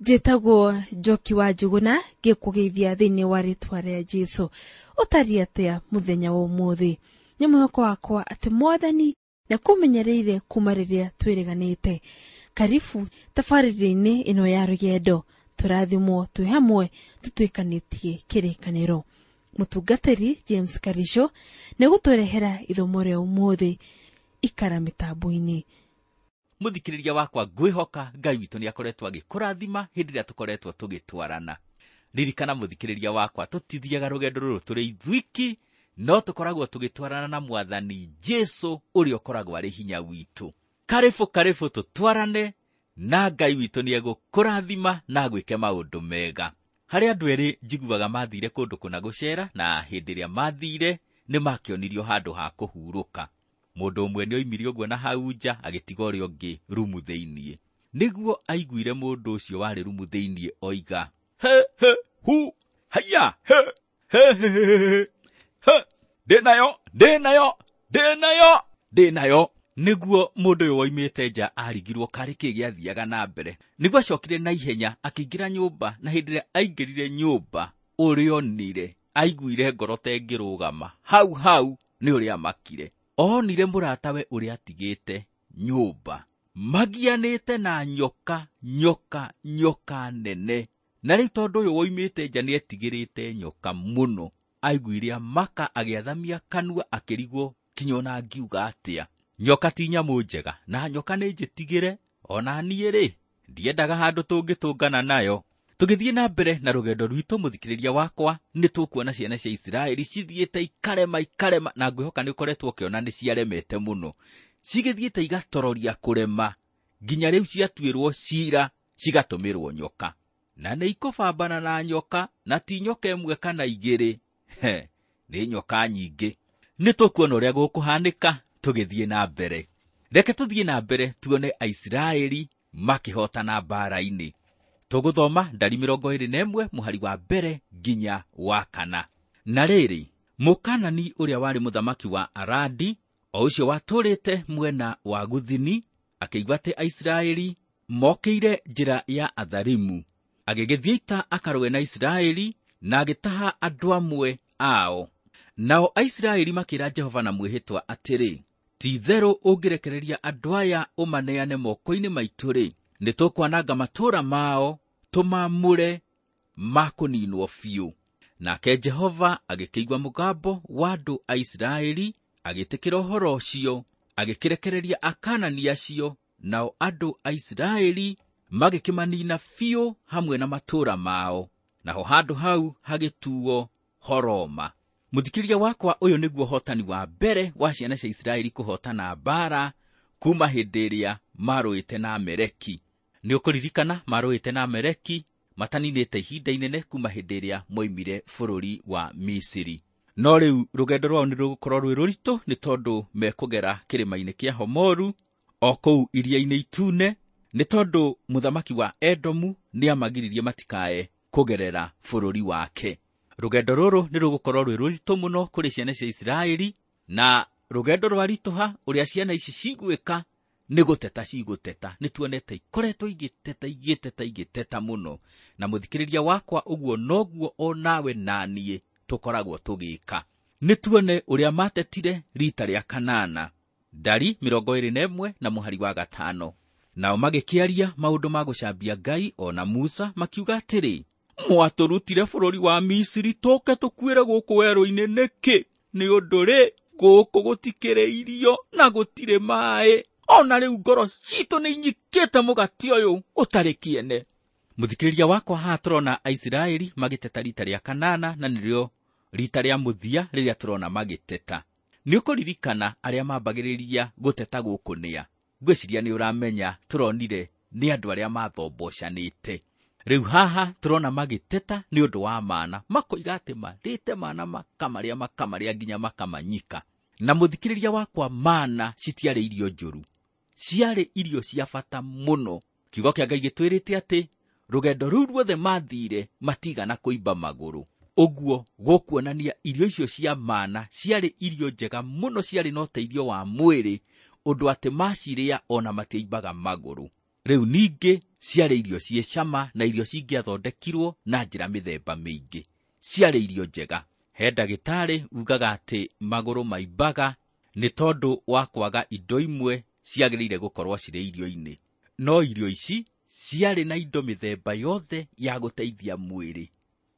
Njĩtagwo Njoki wa Njuguna, ngĩkũgeithia thĩinĩ wa rĩtwa rĩa Jesũ. Ũtariĩ atĩa mũthenya wa ũmũthĩ? Nĩ mwĩhoko wakwa atĩ Mwathani nĩakũmenyereire kuma rĩrĩa twĩrĩganĩte. Karibu tabarĩra-inĩ ĩno ya rũgendo, tũrathimwo twĩ hamwe tũtuĩkanĩtie kĩrĩkanĩro. Mũtungatĩri James Karisho nĩegũtũrehera ithomo rĩa ũmũthĩ. Ikara mĩtambo-inĩ. Mũthikĩrĩria wakwa, ngwĩhoka Ngai witũ nĩ akoretwo agĩkũrathima hĩndĩ ĩrĩa tũkoretwo tũgĩtwarana. Ririkana mũthikĩrĩria wakwa, tũtithiaga rũgendo rũrũ tũrĩ ithuiki, no tũkoragwo tũgĩtwarana na Mwathani Jesũ ũrĩa ũkoragwo arĩ hinya witũ. Karibu karibu tũtwarane na Ngai witũ nĩ egũkũrathima na agwĩke maũndũ mega. Harĩ andũ erĩ njiguaga mathire kũndũ kũna gũcera, na hĩndĩ ĩrĩa mathire nĩ makĩonirio handũ ha kũhurũka. Mũndũ ũmwe nĩ oimire ũguo na hau nja agĩtiga ũrĩa ũngĩ rumu thĩiniĩ. Nĩguo aiguire mũndũ ũcio warĩ rumu thĩiniĩ oiga, he he hu haiya he he he he he he, ndĩnayo ndĩnayo ndĩnayo ndĩnayo. Nĩguo mũndũ ũyũ woimĩte nja arigirwo karĩ kĩ gĩathiaga na mbere. Nĩguo acokire na ihenya akĩingĩra nyũmba, na hĩndĩ ĩrĩa aingĩrire nyũmba ũrĩa onire aiguire ngoro ta ĩngĩrũgama hau hau nĩ ũrĩa amakire. Onire mũratawe ũrĩa atigĩte nyũmba magianĩte na nyoka nyoka nyoka nene. Na rĩu tondũ ũyũ woimĩte nja nĩetigĩrĩte nyoka mũno, aiguire amaka agĩathamia kanua akĩrigwo kinya ona angiuga atĩa. Nyoka ti nyamũ njega, na nyoka nĩ njĩtigĩre, ona niĩ rĩ ndiendaga handũ tũngĩtũngana nayo. Tũgĩthiĩ na mbere na rũgendo rwitũ, mũthikĩrĩria wakwa, nĩ tũkuona ciana cia Isiraeli cithiĩte ikarema ikarema, na ngwĩhoka nĩ ũkoretwo ũkĩona nĩ ciaremete mũno. Cigĩthiĩte igatororia kũrema nginya rĩu ciatuĩrwo cira cigatũmĩrwo nyoka. Na nĩ ikũbambana na nyoka, na ti nyoka ĩmwe kana igĩrĩ, he, nĩ nyoka nyingĩ. Nĩ tũkuona ũrĩa gũkũhanĩka tũgĩthiĩ na mbere. Reke tũthiĩ na mbere tuone Aisiraeli makĩhotana mbaara-inĩ. Tũgũthoma ndari 21 mũhari wa mbere nginya wa kana. Na rĩrĩ, Mũkanani ũrĩa warĩ mũthamaki wa Aradi, o ũcio watũũrĩte mwena wa Guthini, akĩigua atĩ Aisiraeli mokĩire njĩra ya Atharimu. Agĩgĩthiĩ ita akarũe na Isiraeli na agĩtaha andũ amwe ao. Nao Aisiraeli makĩĩra Jehova na mwĩhĩtwa atĩrĩ, ti-itherũ ũngĩrekereria andũ aya ũmaneane moko-inĩ maitũ-rĩ, nĩ tũkwananga matũũra mao tũmamũre makũninwo biũ. Nake Jehova agĩkĩigua mũgambo wa andũ a Isiraeli, agĩtĩkĩra ũhoro ũcio, agĩkĩrekereria Akanani acio, nao andũ a Isiraeli magĩkĩmanina biũ hamwe na matũũra mao. Naho handũ hau hagĩtuo Horoma. Mũthikĩrĩria wakwa, ũyũ nĩguo ũhotani wa mbere wa ciana cia Isiraeli kũhotana mbaara kuma hĩndĩ ĩrĩa marũĩte na Amaleki. Nĩ ũkũririkana marũĩte na Amaleki mataninĩte ihinda inene kuma hĩndĩ ĩrĩa moimire bũrũri wa Misiri. No rĩu rũgendo rwao nĩ rũgũkorwo rwĩ rũritũ nĩ tondũ mekũgera kĩrĩma-inĩ kĩa Homoru o kũu iria-inĩ itune, nĩ tondũ mũthamaki wa Edomu nĩamagiririe matikae kũgerera bũrũri wake. Rũgendo rũrũ nĩ rũgũkorwo rwĩ rũritũ mũno kũrĩ ciana cia Isiraeli, na rũgendo rwaritũha ũrĩa ciana ici cigwĩka nĩ gũteta cigũteta. Nĩ tuonete ikoretwo igĩteta igĩteta igĩteta mũno, na mũthikĩrĩria wakwa, ũguo noguo o nawe na niĩ tũkoragwo tũgĩka. Nĩ tuone ũrĩa matetire rita rĩa kanana, ndari 21 na mũhari wa 5. Nao magĩkĩaria maũndũ ma gũcambia Ngai o na Musa, makiuga atĩrĩ, mwatũrutire bũrũri wa Misiri tũke tũkuĩre gũkũ werũ-inĩ nĩkĩ? Nĩ ũndũ rĩ, gũkũ gũtikĩrĩ irio na gũtirĩ maĩ, ona rĩu ngoro citũ nĩ inyikĩte mũgate ũyũ ũtarĩ kĩene. Mũthikĩrĩria wakwa, haha tũrona Aisiraeli magĩteta rita rĩa kanana, na nĩrĩo rita rĩa mũthia rĩrĩa tũrona magĩteta. Nĩ ũkũririkana arĩa mambagĩrĩria gũteta gũkũ nĩa? Ngwĩciria nĩ ũramenya tũronire nĩ andũ arĩa mathombocanĩte. Rĩu haha tũrona magĩteta nĩ ũndũ wa mana, makoiga atĩ marĩte mana makamarĩa makamarĩa nginya makamanyika. Na mũthikĩrĩria wakwa, mana citiarĩ irio njũru, ciarĩ irio cia bata mũno. Kiugo kĩa Ngai gĩtwĩrĩte atĩ rũgendo rũu ruothe mathire matigana kũimba magũrũ. Ũguo gũkuonania irio icio cia mana ciarĩ irio njega mũno, ciarĩ na ũteithio wa mwĩrĩ, ũndũ atĩ macirĩa ona matiaimbaga magũrũ. Rĩu ningĩ Ciarĩ irio ciĩ cama na irio cingĩathondekirwo na njĩra mĩthemba mĩingĩ. Ciarĩ irio njega. He ndagĩtarĩ ugaga atĩ magũrũ maimbaga nĩ tondũ wa kwaga indo imwe ciagĩrĩire gũkorwo cirĩ irio-inĩ. No irio ici ciarĩ na indo mĩthemba yothe ya gũteithia mwĩrĩ,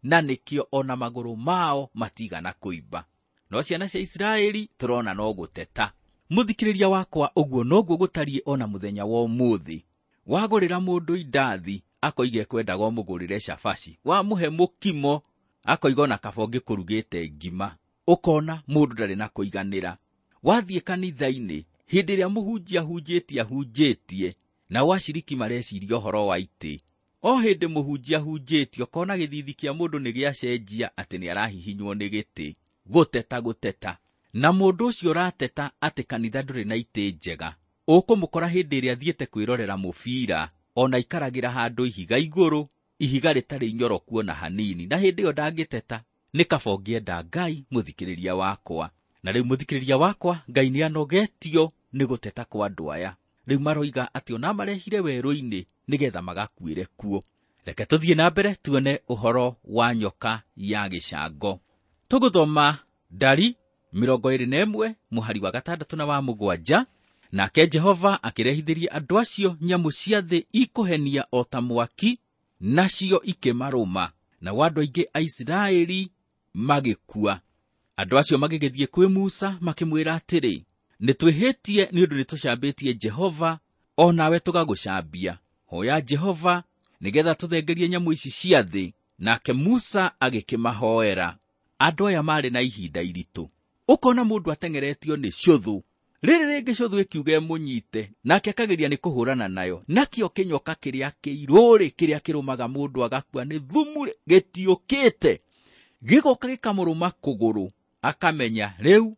na nĩkĩo ona magũrũ mao matigana kũimba. No ciana cia Isiraeli tũrona no gũteta. Mũthikĩrĩria wakwa, ũguo noguo gũtariĩ ona mũthenya wa ũmũthĩ. Wagũrĩra mũndũ indathi akoiga ekwendaga ũmũgũrĩre cabaci, wamũhe mũkimo akoiga ona kaba ũngĩkũrugĩte ngima. Ũkona mũndũ ndarĩ na kũiganĩra. Wathiĩ kanitha-inĩ hĩndĩ ĩrĩa mũhunjia ahunjĩtie ahunjĩtie, nao aciriki mareciria ũhoro wa itĩ. O hĩndĩ mũhunjia ahunjĩtie ũkona gĩthithi kĩa mũndũ nĩ gĩacenjia atĩ nĩ arahihinywo nĩ gĩtĩ. Gũteta gũteta. Na mũndũ ũcio ũrateta atĩ kanitha ndũrĩ na itĩ njega, ũkũmũkora hĩndĩ ĩrĩa athiĩte kwĩrorera mũbira, ona aikaragĩra handũ ihiga igũrũ, ihiga rĩtarĩ inyoroku ona hanini, na hĩndĩ ĩyo ndangĩteta. Nĩ kaba ũngĩenda Ngai, mũthikĩrĩria wakwa. Na rĩu mũthikĩrĩria wakwa, Ngai nĩ anogetio nĩ gũteta kwa andũ aya. Rĩu maroiga atĩ ona marehire werũ-inĩ nĩgetha magakuĩre kuo. Reke tũthiĩ na mbere tuone ũhoro wa nyoka ya gĩcango. Tũgũthoma Ndari 21 mũhari wa 6 na wa 7. Nake Jehova akĩrehithĩria andũ acio nyamũ cia thĩ ikũhenia o ta mwaki, nacio ikĩmarũma, nao andũ aingĩ a Isiraeli magĩkua. Andũ acio magĩgĩthiĩ kwĩ Musa makĩmwĩra atĩrĩ, nĩ twĩhĩtie nĩ ũndũ nĩtũcambĩtie Jehova, o nawe tũgagũcambia. Hoya Jehova nĩgetha tũthengerie nyamũ ici cia thĩ. Nake Musa agĩkĩmahoera. Andũ aya marĩ na ihinda iritũ. Ũkona mũndũ ateng'eretio nĩ cũthũ, rĩrĩ rĩngĩ cũthũ ĩkiuga ĩmũnyite, nake akageria nĩ kũhũrana nayo. Nakĩo kĩnyoka kĩrĩa kĩirũ-rĩ, kĩrĩa kĩrũmaga mũndũ agakua nĩ thumu-rĩ, gĩtiũkĩte. Gĩgoka gĩkamũrũma kũgũrũ, akamenya rĩu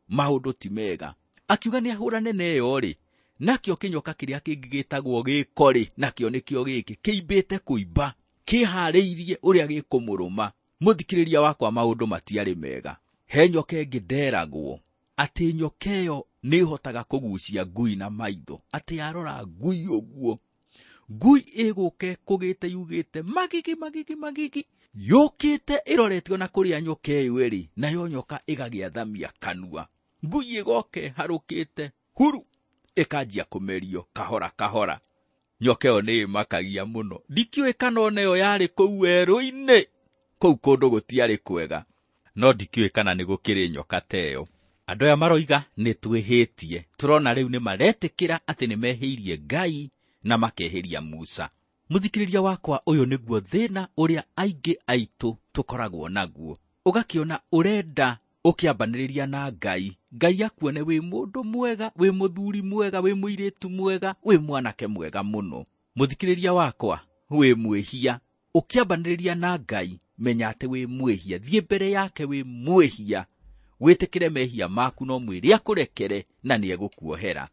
maũndũ ti mega. Akiuga nĩ ahũrane na ĩyo-rĩ, nakĩo kĩnyoka kĩrĩa kĩngĩ gĩtagwo gĩko-rĩ, nakĩo nĩkĩo gĩkĩ kĩimbĩte kũimba, kĩharĩirie ũrĩa gĩkũmũrũma. Mũthikĩrĩria wakwa, maũndũ matiarĩ mega. He nyoka ĩngĩ nderagwo atĩ nyoka ĩyo nĩ ĩhotaga kũgucia ngui na maitho, atĩ yarora ngui ũguo, ngui ĩgũka ĩkũgĩte yugĩte magigi magigi magigi, yũkĩte ĩroretio na kũrĩa nyoka ĩyo ĩrĩ, nayo nyoka ĩgagĩathamia kanua, ngui ĩgoka ĩharũkĩte huru, ĩkanjia kũmerio kahora kahora. Nyoka ĩyo nĩ ĩmakagia mũno. Ndikĩũĩ kana ona ĩyo yarĩ kũu werũ-inĩ, kũu kũndũ gũtiarĩ kwega, no ndikĩũĩ kana nĩ gũkĩrĩ nyoka ta ĩyo. Andũ aya maroiga nĩ twĩhĩtie. Tũrona rĩu nĩ maretĩkĩra atĩ nĩ mehĩirie Ngai na makehĩria Musa. Mũthikĩrĩria wakwa, ũyũ nĩguo thĩna ũrĩa aingĩ aitũ tũkoragwo naguo. Ũgakĩona ũrenda ũkĩambanĩrĩria na Ngai, Ngai akuone wĩ mũndũ mwega, wĩ mũthuri mwega, wĩ mũirĩtu mwega, wĩ mwanake mwega mũno. Mũthikĩrĩria wakwa, wĩ mwĩhia. Ũkĩambanĩrĩria na Ngai, menya atĩ wĩ mwĩhia. Thiĩ mbere yake wĩ mwĩhia, wĩtĩkĩre mehia maku, no mwĩre akũrekere na nĩegũkuohera.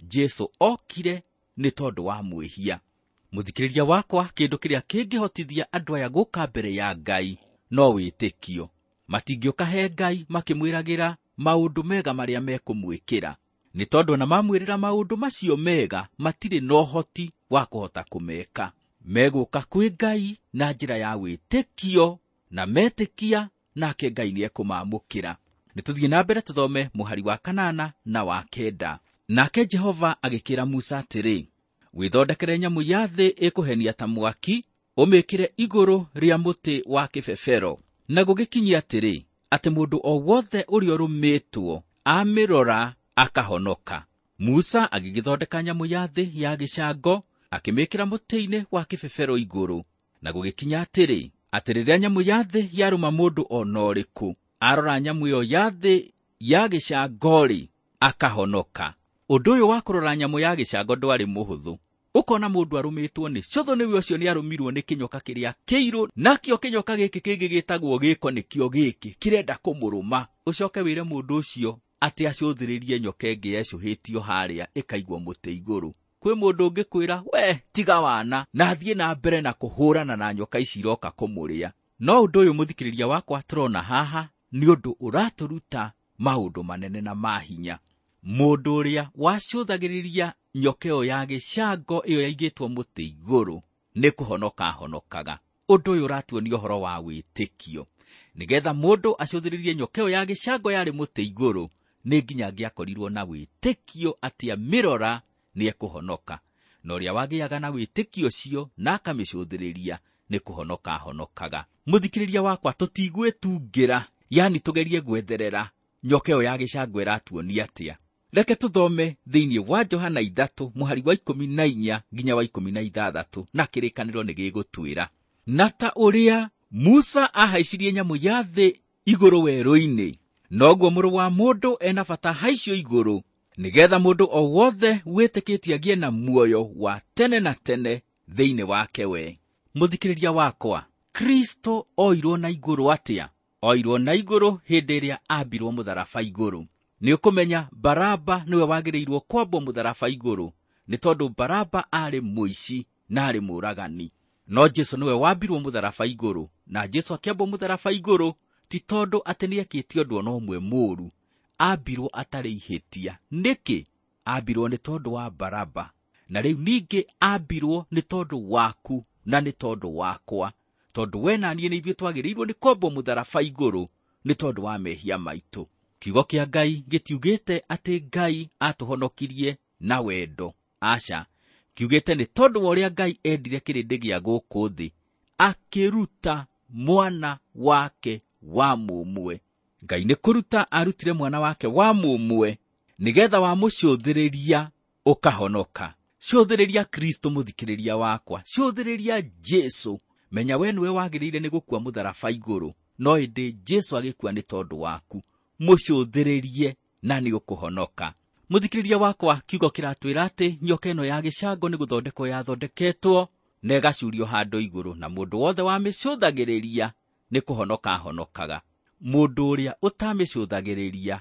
Jesu okire nĩ tondũ wa mwĩhia. Mũthikĩrĩria wakwa, kĩndũ kĩrĩa kĩngĩhotithia andũ aya gũka mbere ya Ngai no wĩtĩkio. Matingĩũka he Ngai makĩmwĩragĩra maũndũ mega marĩa mekũmwĩkĩra, nĩ tondũ ona mamwĩrĩra maũndũ macio mega matirĩ na ũhoti wa kũhota kũmeka. Megũka kwĩ Ngai na njĩra ya wĩtĩkio, na metĩkia nake Ngai nĩekũmamũkĩra. Nĩ tũthiĩ na mbere tũthome mũhari wa 8 na wa 9. Nake Jehova agĩkĩra Musa atĩrĩ, wĩthondekere nyamũ ya thĩ ĩkũhenia ta mwaki, ũmĩkĩre igũrũ rĩa mũtĩ wa kĩbebero. Na gũgĩkinyia atĩrĩ, atĩ mũndũ o wothe ũrĩa ũrũmĩtwo amĩrora akahonoka. Musa agĩgĩthondeka nyamũ ya thĩ ya gĩcango, akĩmĩkĩra mũtĩ-inĩ wa kĩbebero igũrũ. Na gũgĩkinya atĩrĩ, atĩ rĩrĩa nyamũ ya thĩ yarũma mũndũ o na ũrĩkũ, arora nyamũ ĩyo ya thĩ ya gĩcango-rĩ, akahonoka. Ũndũ ũyũ wa kũrora nyamũ ya gĩcango ndwarĩ mũhũthũ. Ũkona mũndũ arũmĩtwo nĩ cũthũ, nĩwe ũcio nĩarũmirwo nĩ kĩnyoka kĩrĩa kĩirũ, nakĩo kĩnyoka gĩkĩ kĩngĩ gĩtagwo gĩko nĩkĩo gĩkĩ kĩrenda kũmũrũma. Ũcoke wĩre mũndũ ũcio atĩ acũthĩrĩrie nyoka ĩngĩ yecũhĩtio harĩa ĩkaigwo mũtĩ igũrũ. Kwĩ mũndũ ũngĩkwĩra we tiga wana, na athiĩ na mbere na kũhũrana na nyoka ici iroka kũmũrĩa. No ũndũ ũyũ mũthikĩrĩria wakwa tũrona haha nĩ ũndũ ũratũruta maũndũ manene na ma hinya. Mũndũ ũrĩa wacũthagĩrĩria nyoka ĩyo ya gĩcango ĩyo yaigĩtwo mũtĩ igũrũ nĩ kũhonoka ahonokaga. Ũndũ ũyũ ũratuonia ũhoro wa wĩtĩkio. Nĩgetha mũndũ acũthĩrĩrie nyoka ĩyo ya gĩcango yarĩ mũtĩ igũrũ, nĩ nginya angĩakorirwo na wĩtĩkio atĩ amĩrora nĩekũhonoka. Na ũrĩa wagĩaga na wĩtĩkio ũcio na akamĩcũthĩrĩria nĩ kũhonoka ahonokaga. Mũthikĩrĩria wakwa, tũtigwĩtungĩra, yani tũgerie gwetherera nyoka ĩyo ya gĩcango ĩratuonia atĩa. Reke tũthome thĩinĩ wa Johana 3 mũhari wa 14 nginya wa 16, na kĩrĩkanĩro nĩ gĩgũtwĩra. Na ta ũrĩa Musa ahaicirie nyamũ ya thĩ igũrũ werũ-inĩ, noguo mũrũ wa mũndũ ena bata haicio igũrũ, nĩgetha mũndũ o wothe wĩtĩkĩtie agĩe na muoyo wa tene na tene thĩinĩ wake we. Mũthikĩrĩria wakwa, Kristo oirwo na igũrũ atĩa? Oirwo na igũrũ hĩndĩ ĩrĩa ambirwo mũtharaba igũrũ. Nĩ ũkũmenya Baraba nĩwe wagĩrĩirwo kwambwo mũtharaba igũrũ, nĩ tondũ Baraba aarĩ mũici na aarĩ mũũragani. No Jesũ nĩwe wambirwo mũtharaba igũrũ, na Jesũ akĩambwo mũtharaba igũrũ ti tondũ atĩ nĩekĩte ũndũ ona ũmwe mũũru, ambirwo atarĩ ihĩtia. Nĩkĩ? Ambirwo nĩ tondũ wa Baraba, na rĩu ningĩ ambirwo nĩ tondũ waku na nĩ tondũ wakwa, tondũ we na niĩ nĩ ithuĩ twagĩrĩirwo nĩ kwambwo mũtharaba igũrũ nĩ tondũ wa mehia maitũ. Kiugo kĩa Ngai gĩtiugĩte atĩ Ngai atũhonokirie na wendo, aca. Kiugĩte nĩ tondũ wa ũrĩa Ngai endire kĩrĩndĩ gĩa gũkũ thĩ, akĩruta mwana wake wa mũmwe. Ngai nĩ kũruta arutire mwana wake wa mũmwe nĩgetha wamũcũthĩrĩria ũkahonoka. Cũthĩrĩria Kristo mũthikĩrĩria wakwa, cũthĩrĩria Jesũ. Menya we nĩwe wagĩrĩire nĩ gũkua mũtharaba igũrũ, no ĩndĩ Jesũ agĩkua nĩ tondũ waku. Mũcũthĩrĩrie na nĩ ũkũhonoka. Mũthikĩrĩria wakwa, kiugo kĩratwĩra atĩ nyoka ĩno ya gĩcango nĩ gũthondekwo yathondeketwo na ĩgacurio handũ igũrũ, na mũndũ wothe wamĩcũthagĩrĩria nĩ kũhonoka ahonokaga. Mũndũ ũrĩa ũtamĩcũthagĩrĩria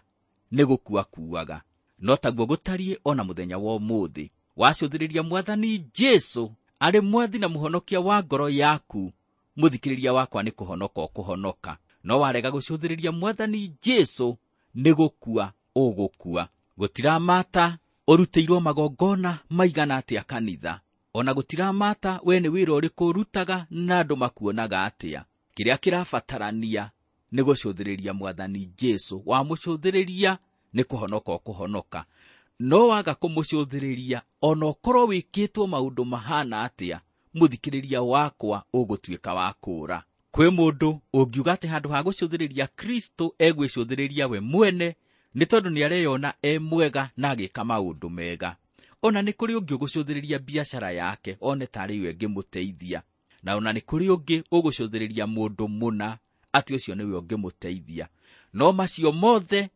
nĩ gũkua akuaga. No taguo gũtariĩ ona mũthenya wa ũmũthĩ. Wacũthĩrĩria Mwathani Jesũ arĩ mwathi na mũhonokia wa ngoro yaku, mũthikĩrĩria wakwa, nĩ kũhonoka ũkũhonoka. No warega gũcũthĩrĩria Mwathani Jesũ nĩ gũkua ũgũkua. Gũtiramata ũrutĩirwo magongona maigana atĩa kanitha, ona gũtiramata we nĩ wĩra ũrĩkũ ũrutaga na andũ makuonaga atĩa. Kĩrĩa kĩrabatarania nĩ gũcũthĩrĩria Mwathani Jesũ. Wamũcũthĩrĩria nĩ kũhonoka ũkũhonoka. No waga kũmũcũthĩrĩria, ona ũkorwo wĩkĩtwo maũndũ mahana atĩa, mũthikĩrĩria wakwa ũgũtuĩka wa kũũra. Kwĩ mũndũ ũngiuga atĩ handũ ha gũcũthĩrĩria Kristo egwĩcũthĩrĩria we mwene, nĩ tondũ nĩareyona e mwega na agĩka maũndũ mega. Ona nĩ kũrĩ ũngĩ ũgũcũthĩrĩria biacara yake one tarĩ yo ĩngĩmũteithia, na ona nĩ kũrĩ ũngĩ ũgũcũthĩrĩria mũndũ mũna atĩ ũcio nĩwe ũngĩmũteithia. No macio mothe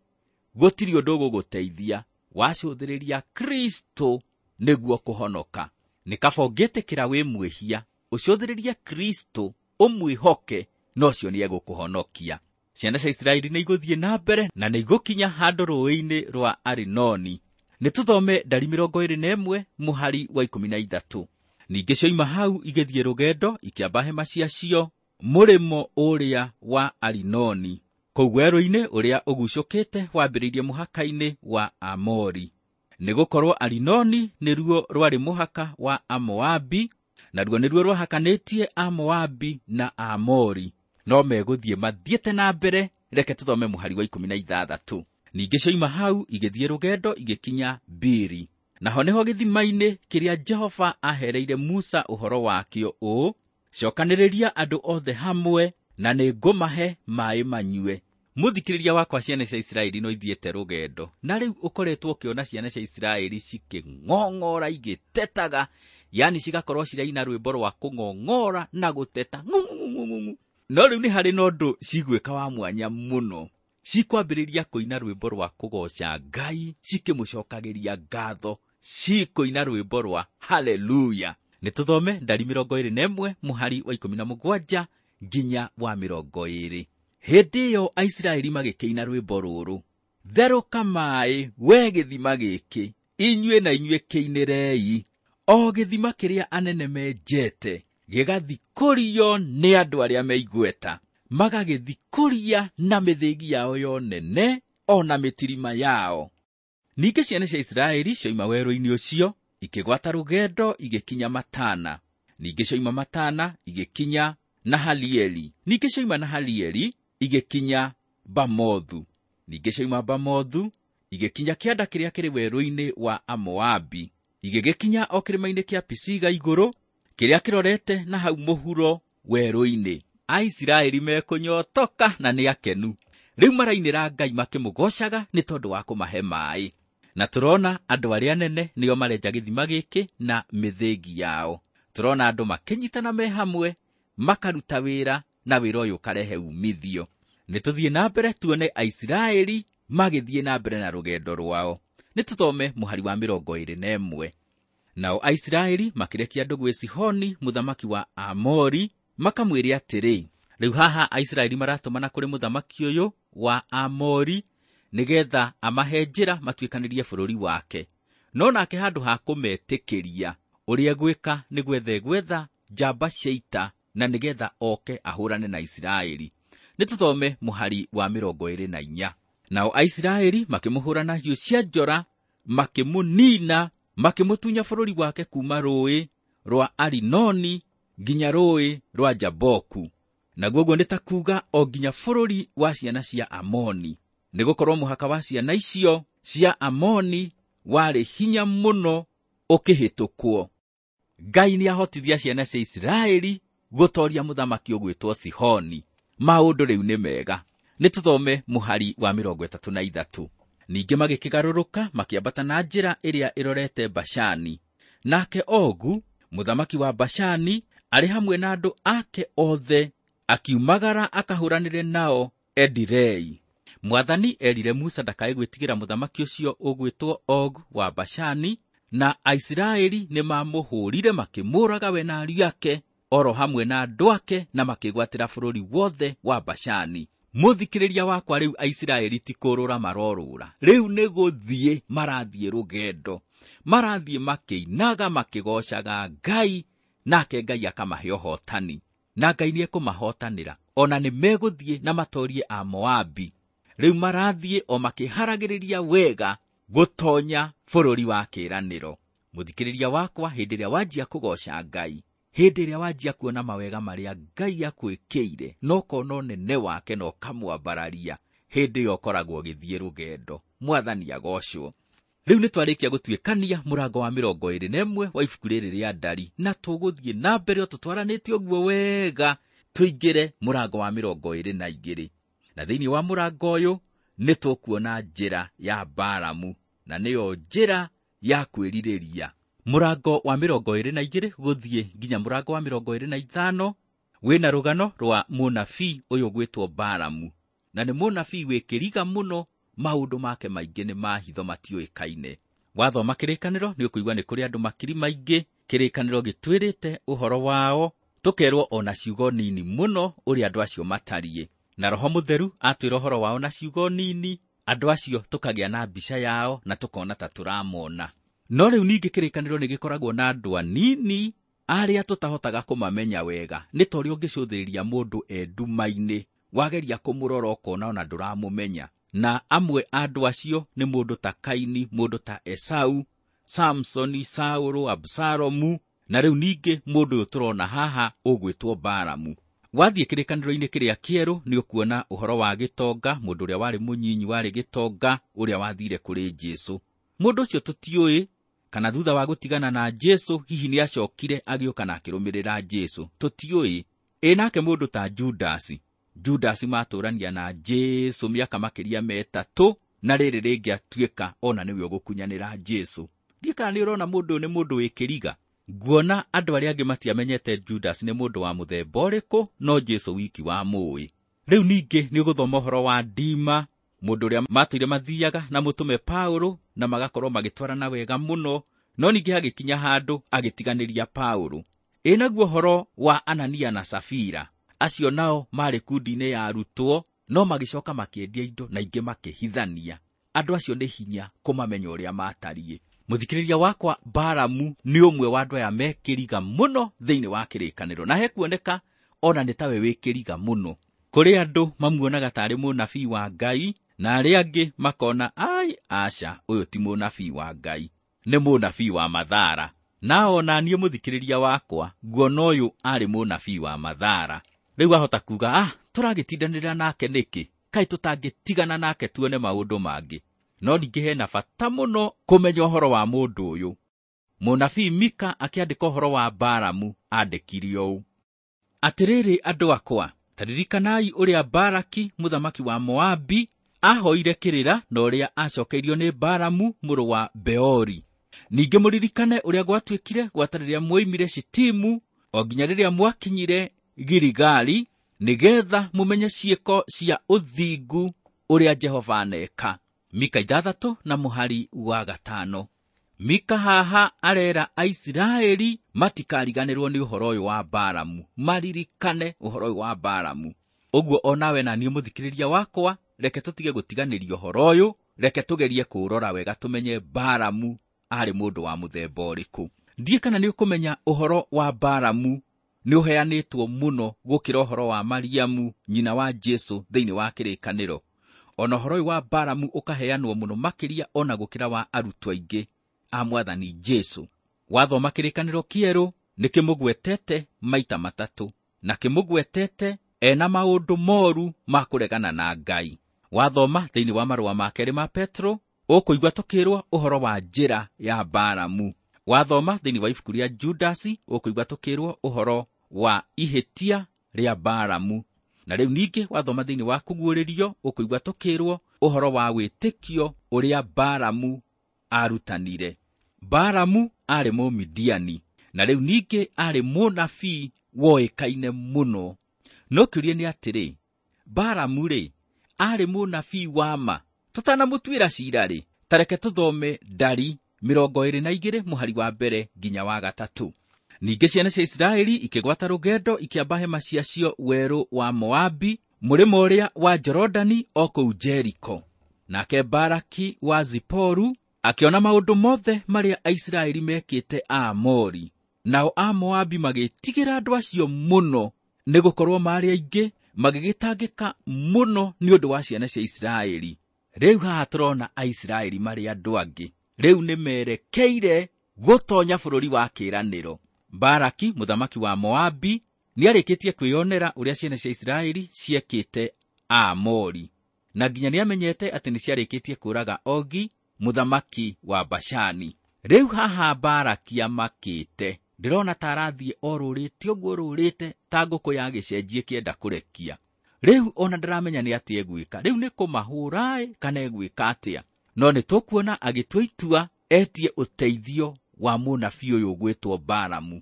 gũtirĩ ũndũ ũgũgũteithia wacũthĩrĩria Kristo nĩguo kũhonoka. Nĩ kaba ũngĩtĩkĩra wĩ mwĩhia, ũcũthĩrĩrie Kristo, ũmwĩhoke, na ũcio nĩegũkũhonokia. Ciana cia Isiraeli nĩ igũthiĩ na mbere na nĩ igũkinya handũ rũũĩ-inĩ rwa Arinoni. Nĩ tũthome ndari 21 mũhari wa 13. Ningĩ cioima hau igĩthiĩ rũgendo ikĩamba hema ciacio mũrĩmo ũrĩa wa Arinoni, kũu werũ-inĩ ũrĩa ũgucũkĩte wambĩrĩirie mũhaka-inĩ wa Amori. Nĩgũkorwo Arinoni nĩruo rwarĩ mũhaka wa Amoabi, naruo nĩruo rwahakanĩtie Amoabi na Amori. No megũthiĩ mathiĩte na mbere. Reke tũthome mũhari wa 16. Ningĩ cioima hau igĩthiĩ rũgendo igĩkinya Biri, naho nĩho gĩthima-inĩ kĩrĩa Jehova ahereire Musa ũhoro wakĩo ũũ: cokanĩrĩria andũ othe hamwe na nĩngũmahe maaĩ manyue. Mũthikĩrĩria wakwa, ciana cia Isiraeli no ithiĩte rũgendo, na rĩu ũkoretwo ũkĩona ciana cia Isiraeli cikĩng'ong'ora igĩtetaga, yani cigakorwo ciraina rwĩmbo rwa kũng'ong'ora na gũteta ng'ung'ung'ung'u. No rĩu nĩ harĩ na ũndũ cigwĩka wa mwanya mũno. Cikwambĩrĩria kũina rwĩmbo rwa kũgooca Ngai, cikĩmũcokagĩria ngatho, cikũina rwĩmbo rwa haleluya. Nĩ tũthome ndari 21 mũhari wa 17 nginya wa 20. Hĩndĩ ĩyo Aisiraeli magĩkĩina rwĩmbo rũrũ: therũka maaĩ we gĩthima gĩkĩ, inyuĩ na inyuĩ kĩinĩrei, o gĩthima kĩrĩa anene menjete gĩgathikũrio nĩ andũ arĩa me igweta, magagĩthikũria na mĩthĩgi yao yonene o na mĩtirima yao. Ningĩ ciana cia Isiraeli cioima werũ-inĩ ũcio Ikĩgwata rũgendo igĩkinya Matana. Ningĩ cioima Matana igĩkinya Nahalieli. Ningĩ cioima Nahalieli igĩkinya Bamothu. Ningĩ cioima Bamothu igĩkinya kĩanda kĩrĩa kĩrĩ werũ-inĩ wa Amoabi. Igĩgĩkinya o kĩrĩma-inĩ kĩa Pisiga igũrũ, kĩrĩa kĩrorete na hau mũhuro werũ-inĩ. Aisiraeli mekũnyotoka na nĩ akenu. Rĩu marainĩra Ngai makĩmũgoocaga nĩ tondũ wa kũmahe maaĩ. Na tũrona andũ arĩa anene nĩo marenja gĩthima gĩkĩ na mĩthĩngi yao. Tũrona andũ makĩnyitana me hamwe, makaruta wĩra na wĩra ũyũ ũkarehe umithio. Nĩ tũthiĩ na mbere tuone Aisiraeli magĩthiĩ na mbere na rũgendo rwao. Nĩ tũthome mũhari wa 21. Nao Aisiraeli makĩrekia andũ gwĩ Sihoni mũthamaki wa Amori, makamwĩre atĩrĩ. Rĩu haha Aisiraeli maratũmana kũrĩ mũthamaki ũyũ wa Amori nĩgetha amahe njĩra matuĩkanĩrie bũrũri wake. No nake handũ ha kũmetĩkĩria, ũrĩa gwĩka nĩ gwetha gwetha njamba cia ita na nĩgetha oke ahũrane na Isiraeli. Nĩ tũthome mũhari wa 24. Nao Aisiraeli makĩmũhũra na hiũ cia njora, makĩmũnina, makĩmũtunya bũrũri wake kuma rũĩ rwa Arinoni nginya rũĩ rwa Jaboku. Naguo ũguo nĩ ta kuuga o nginya bũrũri wa ciana cia Amoni. Nĩgũkorwo mũhaka wa ciana icio cia Amoni warĩ hinya mũno ũkĩhĩtũkwo. Ngai nĩahotithia ciana cia Isiraeli gũtooria mũthamaki ũgwĩtwo Sihoni. Maũndũ rĩu nĩ mega. Nĩ tũthome mũhari wa 33. Ningĩ magĩkĩgarũrũka makĩambata na njĩra ĩrĩa ĩrorete Bashani. Nake Ogu, mũthamaki wa Bashani, arĩ hamwe na andũ ake othe, akiumagara akahũranĩre nao Edirei. Mwathani erire Musa ndakae gwĩtigĩra mũthamaki ũcio ũgwĩtwo Og wa Bashani, na Aisiraeli nĩmamũhũrire makĩmũraga we na ariũ ake oro hamwe na andũ ake, na makĩgwatĩra bũrũri wothe wa Bashani. Mũthikĩrĩria wakwa, rĩu Aisiraeli ti kũrũra marorũra, rĩu nĩ gũthiĩ marathiĩ rũgendo, marathiĩ makĩinaga makĩgoocaga Ngai, nake Ngai akamahe ũhotani, na Ngai nĩekũmahotanĩra, ona nĩ megũthiĩ na matoorie Amoabi. Rĩu marathiĩ o makĩharagĩrĩria wega gũtonya bũrũri wa kĩĩranĩro. Mũthikĩrĩria wakwa, hĩndĩ ĩrĩa wanjia kũgooca Ngai, hĩndĩ ĩrĩa wanjia kuona mawega marĩa Ngai akwĩkĩire, na ũkona ũnene wake na ũkamwambararia, hĩndĩ ĩyo ũkoragwo ũgĩthiĩ rũgendo. Mwathani agocwo. Rĩu nĩ twarĩkia gũtuĩkania mũrango wa 21 wa ibuku rĩrĩ rĩa Ndari, na tũgũthiĩ na mbere o tũtwaranĩte ũguo wega tũingĩre mũrango wa 22. Na thĩinĩ wa mũrango ũyũ nĩ tũkuona njĩra ya Balamu, na nĩyo njĩra ya kwĩrirĩria. Mũrango wa 22 gũthiĩ nginya mũrango wa 25 wĩna rũgano rwa mũnabii ũyũ ũgwĩtwo Balamu, na nĩ mũnabii wĩ kĩriga mũno, maũndũ make maingĩ nĩ ma hitho matiũĩkaine. Wathoma kĩrĩkanĩro nĩ ũkũigua nĩ kũrĩ andũ makiri maingĩ kĩrĩkanĩro gĩtwĩrĩte ũhoro wao, tũkerwo ona ciugo nini mũno ũrĩa andũ acio matariĩ, na Roho Mũtheru atwĩra ũhoro wao na ciugo nini, andũ acio tũkagĩa na mbica yao na tũkona ta tũramona. No rĩu ningĩ kĩrĩkanĩro nĩ gĩkoragwo na andũ anini arĩa tũtahotaga kũmamenya wega, nĩ ta ũrĩa ũngĩcũthĩrĩria mũndũ e nduma-inĩ, wageria kũmũrora ũkona ona ndũramũmenya. Na amwe a andũ acio nĩ mũndũ ta Kaini, mũndũ ta Esau, Samsoni, Saũlũ, Absalomu, na rĩu ningĩ mũndũ ũyũ tũrona haha ũgwĩtwo Balamu. Wathiĩ kĩrĩkanĩro-inĩ kĩrĩa kĩerũ nĩ ũkuona ũhoro wa gĩtonga, mũndũ ũrĩa warĩ mũnyinyi warĩ gĩtonga, ũrĩa wathire kũrĩ Jesũ. Mũndũ ũcio tũtiũĩ kana thutha wa gũtigana na Jesũ hihi nĩ acokire agĩũka na akĩrũmĩrĩra Jesũ, tũtiũĩ. Ĩ nake mũndũ ta Judasi, Judasi matũrania na Jesũ mĩaka makĩria 3, na rĩrĩ rĩngĩ atuĩka ona nĩwe ũgũkunyanĩra Jesũ. Ndiũĩ kana nĩ ũrona mũndũ ũyũ nĩ mũndũ wĩ kĩriga. Nguona andũ arĩa angĩ matiamenyete Judas nĩ mũndũ wa mũthemba ũrĩkũ, no Jesũ wiki wamũĩ. Rĩu ningĩ nĩ ũgũthoma ũhoro wa Dima, mũndũ ũrĩa matũire mathiaga na mũtũme Paũlũ na magakorwo magĩtwarana wega mũno, no ningĩ hagĩkinya handũ agĩtiganĩria Paũlũ. Ĩ naguo ũhoro wa Anania na Safira, acio nao marĩ kundi-inĩ ya arutwo, no magĩcoka makĩendia indo na ingĩ makĩhithania. Andũ acio nĩ hinya kũmamenya ũrĩa matariĩ. Mũthikĩrĩria wakwa, Balamu nĩ ũmwe wa andũ aya mekĩriga mũno thĩinĩ wa kĩrĩkanĩro, na hekuoneka ona nĩ tawe wĩkĩriga mũno. Kũrĩ andũ mamuonaga tarĩ mũnabii wa Ngai, na arĩa angĩ makona ai aca, ũyũ ti mũnabii wa Ngai. nĩ mũnabii wa mathara. Na ona niĩ mũthikĩrĩria wakwa nguona ũyũ arĩ mũnabii wa mathara. Rĩu ahota kuga, tũragĩtindanĩra nake nĩkĩ? Kaĩ tũtangĩtigana nake tuone maũndũ mangĩ. No ningĩ hena bata mũno kũmenya ũhoro wa mũndũ ũyũ. Mũnabii Mika akĩandĩka ũhoro wa Balamu andĩkire ũũ: atĩrĩrĩ andũ akwa, ta ririkanai ũrĩa Balaki mũthamaki wa Moabi ahoire kĩrĩra na ũrĩa acokeirio nĩ Balamu mũrũ wa Beori. Ningĩ mũririkane ũrĩa gwatuĩkire gwata rĩrĩa mwoimire Shitimu o nginya rĩrĩa mwakinyire Giligali, nĩgetha mũmenye ciĩko cia ũthingu ũrĩa Jehova aneka. Mika 6 na mũhari wa 5. Mika haha arera Aisiraeli matikariganĩrwo nĩ ũhoro ũyũ wa Balamu, maririkane ũhoro ũyũ wa Balamu. Ũguo onawe na niĩ mũthikĩrĩria wakwa, reke tũtige gũtiganĩria ũhoro ũyũ, reke tũgerie kũũrora wega tũmenye Balamu arĩ mũndũ wa mũthemba ũrĩkũ. Ndiĩ kana nĩ ũkũmenya ũhoro wa Balamu nĩ ũheanĩtwo mũno gũkĩra ũhoro wa Mariamu nyina wa Jesu thĩinĩ wa kĩrĩkanĩro. Ona ũhoro ũyũ wa Balamu ũkaheanwo mũno makĩria ona gũkĩra wa arutwo aingĩ a mwathani Jesu. Wathoma kĩrĩkanĩro kĩerũ nĩ kĩmũgwetete maita matatũ, na kĩmũgwetete ena maũndũ moru ma kũregana na Ngai. Wathoma thĩinĩ wa marũa ma kerĩ ma Petro ũkũigua tũkĩrwo ũhoro wa njĩra ya Balamu. Wathoma thĩinĩ wa ibuku rĩa Judasi ũkũigua tũkĩrwo ũhoro wa ihĩtia rĩa Balamu. Na rĩu ningĩ wathoma thĩinĩ wa Kũguũrĩrio ũkũigua tũkĩrwo ũhoro wa wĩtĩkio ũrĩa Balamu arutanire. Balamu arĩ Mũmidiani, na rĩu ningĩ arĩ mũnabii woĩkaine mũno. No kĩũria nĩ atĩrĩ, Balamu rĩ arĩ mũnabii wa ma? Tũtanamũtuĩra cira rĩ, ta reke tũthome Ndari 22 mũhari wa 1 nginya wa 3. Ningĩ ciana cia Isiraeli ikĩgwata rũgendo ikĩamba hema ciacio werũ wa Moabi, mũrĩmo ũrĩa wa Jorodani o kũu Jeriko. Nake Balaki wa Ziporu akĩona maũndũ mothe marĩa Aisiraeli mekĩte Aamori. Nao Amoabi magĩtigĩra andũ acio mũno, nĩgũkorwo maarĩ aingĩ, magĩgĩtangĩka mũno nĩ ũndũ wa ciana cia Isiraeli. Rĩu haha tũrona Aisiraeli marĩ andũ angĩ. Rĩu nĩ merekeire gũtonya bũrũri wa kĩĩranĩro. Balaki mũthamaki wa Moabi nĩarĩkĩtie kwĩyonera ũrĩa ciana cia Isiraeli ciekĩte Aamori, na nginya nĩamenyete atĩ nĩciarĩkĩtie kũũraga Ogi mũthamaki wa Bashani. Rĩu haha Balaki amakĩte, ndĩrona ta arathiĩ orũrĩte ũguo rũrĩte ta ngũkũ ya gĩcenjie kĩenda kũrekia. Rĩu ona ndaramenya nĩ atĩa egwĩka. Rĩu nĩ kũmahũra kana egwĩka atĩa? No nĩ tũkuona agĩtua itua etie ũteithio wa mũnabii ũyũ ũgwĩtwo Balamu.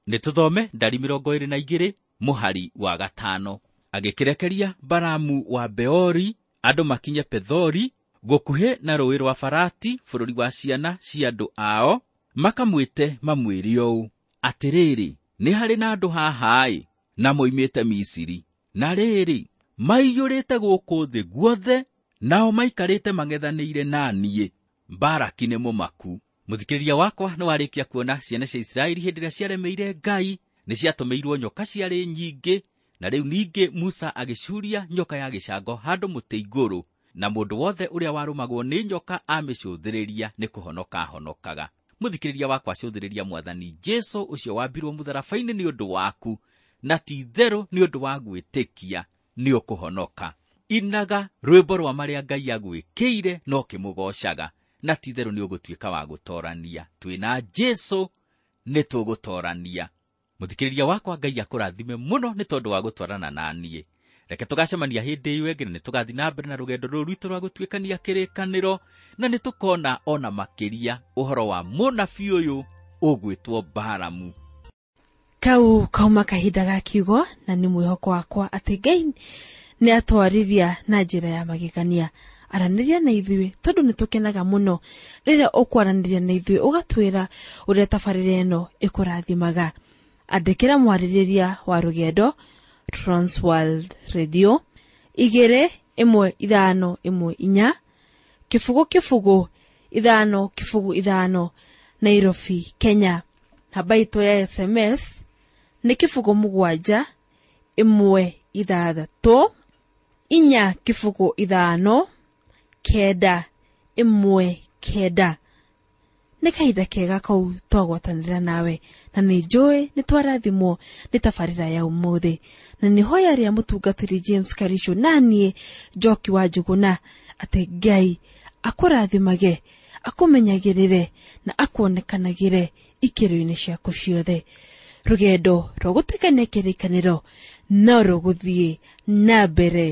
Nĩ tũthome Ndari 22 mũhari wa 5. Agĩkĩrekeria Balamu wa Beori andũ makinye Pethori gũkuhĩ na rũũĩ rwa Farati bũrũri wa ciana cia andũ ao, makamwĩte mamwĩre ũũ: atĩrĩrĩ, nĩ harĩ na andũ haha-ĩ, na moimĩte Misiri, na rĩrĩ maiyũrĩte gũkũ thĩ guothe, nao maikarĩte mang'ethanĩire na niĩ. Balaki nĩ mũmaku. Mũthikĩrĩria wakwa, nĩ warĩkia kuona ciana cia Isiraeli hĩndĩ ĩrĩa ciaremeire Ngai nĩ ciatũmĩirwo nyoka ciarĩ nyingĩ, na rĩu ningĩ Musa agĩcuria nyoka ya gĩcango handũ mũtĩ igũrũ, na mũndũ wothe ũrĩa warũmagwo nĩ nyoka amĩcũthĩrĩria nĩ kũhonoka ahonokaga. Mũthikĩrĩria wakwa, cũthĩrĩria mwathani Jesu ũcio wambirwo mũtharaba-inĩ nĩ ũndũ waku, na ti itherũ nĩ ũndũ wa gwĩtĩkia nĩ ũkũhonoka. Inaga rwĩmbo rwa marĩa Ngai agwĩkĩire no kĩmũgocaga, na ti itherũ nĩ ũgũtuĩka wa gũtorania. Twĩna Jesu nĩ tũgũtorania. Mũthikĩrĩria wakwa, Ngai akũrathime mũno nĩ tondũ wa gũtwarana na niĩ. Reke tũgacemania hĩndĩ ĩyo ĩngĩ, na nĩ tũgathiĩ na mbere na rũgendo rũrũ rwitũ rwa gũtuĩkania kĩrĩkanĩro, na nĩ tũkona ona makĩria ũhoro wa mũnabii ũyũ ũgwĩtwo Balamu. Kau kauma kahinda ga kiugo, na nĩ mwĩhoko wakwa atĩ Ngai nĩ atwarĩria na njĩra ya magegania. Aranĩria na ithuĩ tondũ nĩ tũkenaga mũno rĩrĩa ũkwaranĩria na ithuĩ ũgatwĩra ũrĩa tabarĩra ĩno ĩkũrathimaga. Andĩkĩra mwarĩrĩria wa rũgendo Transworld Radio 2 1 5 1 4 0 0 5 0 5 Nairobi, Kenya. Namba itũ ya SMS nĩ 0 7 1 6 4 0 5 9 1 9. Nĩ kahinda kega kau twagwatanĩra nawe, na nĩ njũĩ nĩ twarathimwo nĩ tabarĩra ya ũmũthĩ. Na nĩ hoya rĩa mũtungatĩri James Karisho naniĩ Njoki wa Njũgũna atĩ Ngai akũrathimage, akũmenyagĩrĩre na akuonekanagĩre ikĩro-inĩ ciaku ciothe. Rũgendo rwa gũtuĩkania kĩrĩkanĩro no rũgũthiĩ na mbere.